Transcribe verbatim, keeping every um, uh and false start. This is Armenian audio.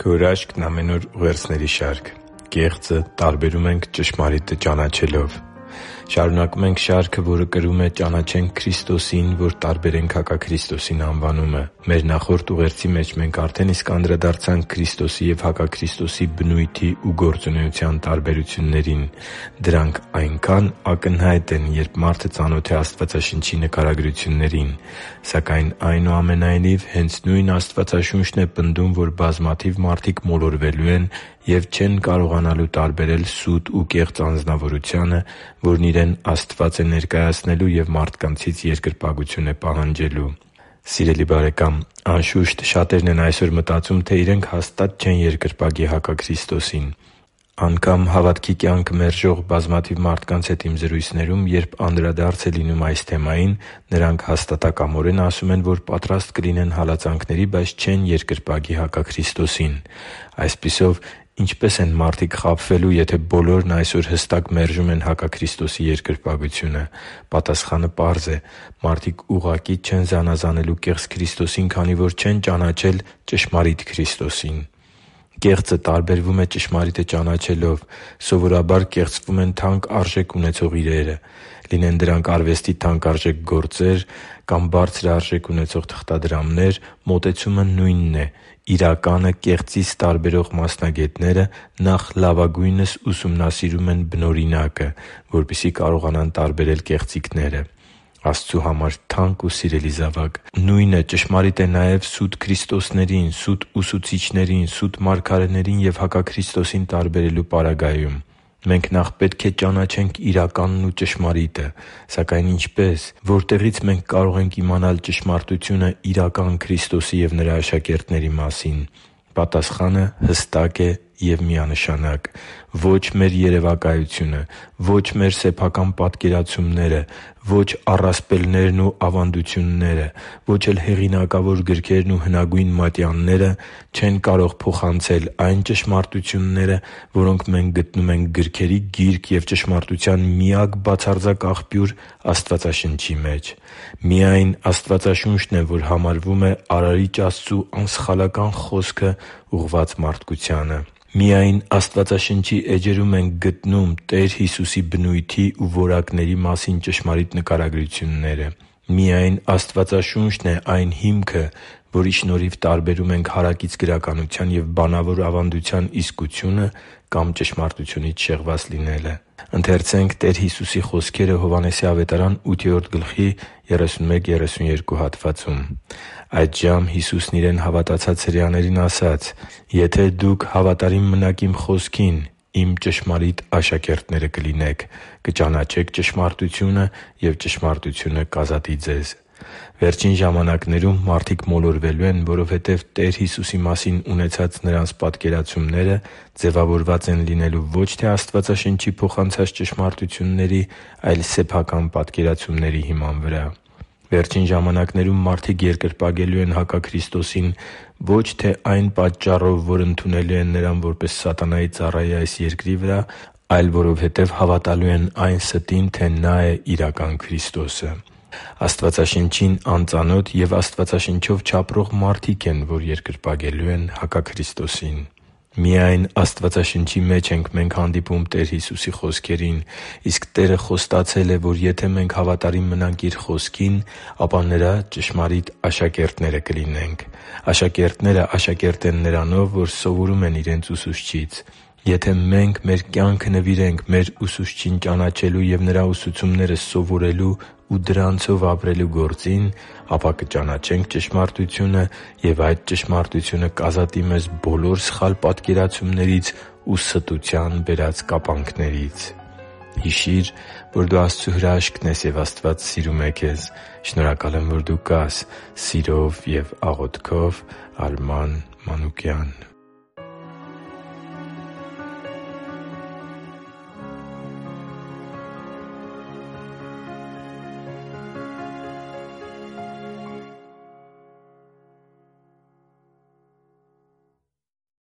Քո հրաշքն ամեն օր ուղերձների շարք։ Կեղծը տարբերում ենք ճշմարիտը ճանաչելով։ Շարունակում ենք շարքը, որը կրում է «Ճանաչենք Քրիստոսին, որ տարբերենք հակաքրիստոսին» անվանումը։ Մեր նախորդ ուղերձի մեջ մենք արդեն իսկ անդրադարձանք Քրիստոսի և հակաքրիստոսի բնույթի ու գործունեության տարբերություններին։ Դրանք այնքան ակնհայտ են, երբ մարդը ծանոթ է Աստվածաշնչի նկարագրություններին։ Սակայն, այնուամենայնիվ, հենց նույն Աստվածաշունչն է պնդում, որ բազմաթիվ մարդիկ մոլորվելու են և չեն կարողանալու տարբերել սուտ ու կեղծ անձնավորությունը, որն իրեն Աստված է ներկայացնելու և մարդկանցից երկրպագություն է պահանջելու։ Սիրելի՛ բարեկամ, անշուշտ, շատերն են այսօր մտածում, թե իրենք հաստատ չեն երկրպագի հակաքրիստոսին։ Անգամ հավատքի կյանքը մերժող բազմաթիվ մարդկանց հետ իմ զրույցներում, երբ անդրադարձ է լինում այս թեմային, նրանք հաստատակամորեն ասում են, որ պատրաստ կլինեն հալածանքների, բայց չեն երկրպագի հակաքրիստոսին։ Այսպիսով, ինչպե՞ս են մարդիկ խաբվելու, եթե բոլորն այսօր հստակ մերժում են հակաքրիստոսի երկրպագությունը։ Պատասխանը պարզ է՝ մարդիկ ուղղակի չեն զանազանելու կեղծ Քրիստոսին, քանի որ չեն ճանաչել ճշմարիտ Քրիստոսին։ Կեղծը տարբերվում է ճշմարիտը ճանաչելով։ Սովորաբար կեղծվում են թանկ արժեք ունեցող իրերը։ Լինեն դրանք արվեստի թանկարժեք գործեր կամ բարձր արժեք ունեցող թղթադրամներ, մոտեցումը նույնն է։ Իրականը կեղծից տարբերող մասնագետները նախ լավագույնս ուսումնասիրում են բնօրինակը, որպեսզի կարողանան տարբերել կեղծիքները։ Աստծու համար թանկ ու սիրելի՛ զավակ, նույնը ճշմարիտ է նաև սուտ քրիստոսներին, սուտ ուսուցիչներին, սուտ մարգարեներին և հակաքրիստոսին տարբերելու պարագայում։ Մենք նախ պետք է ճանաչենք իրականն ու ճշմարիտը։ Սակայն ինչպե՞ս։ Որտեղի՞ց մենք կարող ենք իմանալ ճշմարտությունը իրական Քրիստոսի և Նրա աշակերտների մասին։ Պատասխանը հստակ է և միանշանակ։ Ո՛չ մեր երևակայությունը, ո՛չ մեր սեփական պատկերացումները, ո՛չ առասպելներն ու ավանդությունները, ո՛չ էլ հեղինակավոր գրքերն ու հնագույն մատյանները չեն կարող փոխանցել այն ճշմարտությունները, որոնք մենք գտնում ենք գրքերի Գիրք և ճշմարտության միակ բացարձակ աղբյուր Աստվածաշնչի մեջ։ Միայն Աստվածաշունչն է, որ համարվում է Արարիչ Աստծու անսխալական խոսքը ուղղված մարդկությանը։ Միայն Աստվածաշնչի էջերում ենք գտնում Տեր Հիսուսի բնույթի ու որակների մասին ճշմարիտ նկարագրությունները։ Միայն Աստվածաշունչն է այն հիմքը, որի շնորհիվ տարբերում ենք հարակից գրականության և բանավոր ավանդության իսկությունը կամ ճշմարտությունից շեղված լինելը։ «Այդժամ Հիսուսն իրեն հավատացած հրեաներին ասաց. «Եթե դուք հավատարիմ մնաք իմ խոսքին, իմ ճշմարիտ աշակերտները կլինեք, կճանաչեք ճշմարտությունը, և ճշմարտությունը կազատի ձեզ»։ Վերջին ժամանակներում մարդիկ մոլորվելու են, որովհետև Տեր Հիսուսի մասին ունեցած նրանց պատկերացումները ձևավորված են լինելու ոչ թե Աստվածաշնչի փոխանցած ճշմարտությունների, այլ սեփական պատկերացումների հիման վրա։ Վերջին ժամանակներում մարդիկ երկրպագելու են հակաքրիստոսին ոչ թե այն պատճառով, որ ընդունելու են Նրան որպես սատանայի ծառայի այս երկրի վրա, այլ որովհետև հավատալու են այն ստին, թե Նա է իրական Քրիստոսը։ Աստվածաշնչին անծանոթ և Աստվածաշնչով չապրող մարդիկ են, որ երկրպագելու են հակաքրիստոսին։ Միայն Աստվածաշնչի մեջ ենք մենք հանդիպում Տեր Հիսուսի խոսքերին, իսկ Տերը խոստացել է, որ եթե մենք հավատարիմ մնանք Իր Խոսքին, ապա Նրա ճշմարիտ աշակերտները կլինենք։ Աշակերտները աշակերտ են նրանով, որ սովորում են իրենց ուսուցչից։ Եթե մենք մեր կյանքը նվիրենք մեր Ուսուցչին ճանաչելու և Նրա ուսուցումները սովորելու ու դրանցով ապրելու գործին, ապա կճանաչենք ճշմարտությունը, և այդ ճշմարտությունը կազատի մեզ բոլոր սխալ պատկերացումներից ու ստության բերած կապանքներից։ Հիշի՛ր, որ դու Աստծո հրաշքն ես, և Աստված սիրում է քեզ։ Շնորհակալ եմ, որ դու կա՛ս։ Սիրով և աղոթքով, Արման Մանուկյան։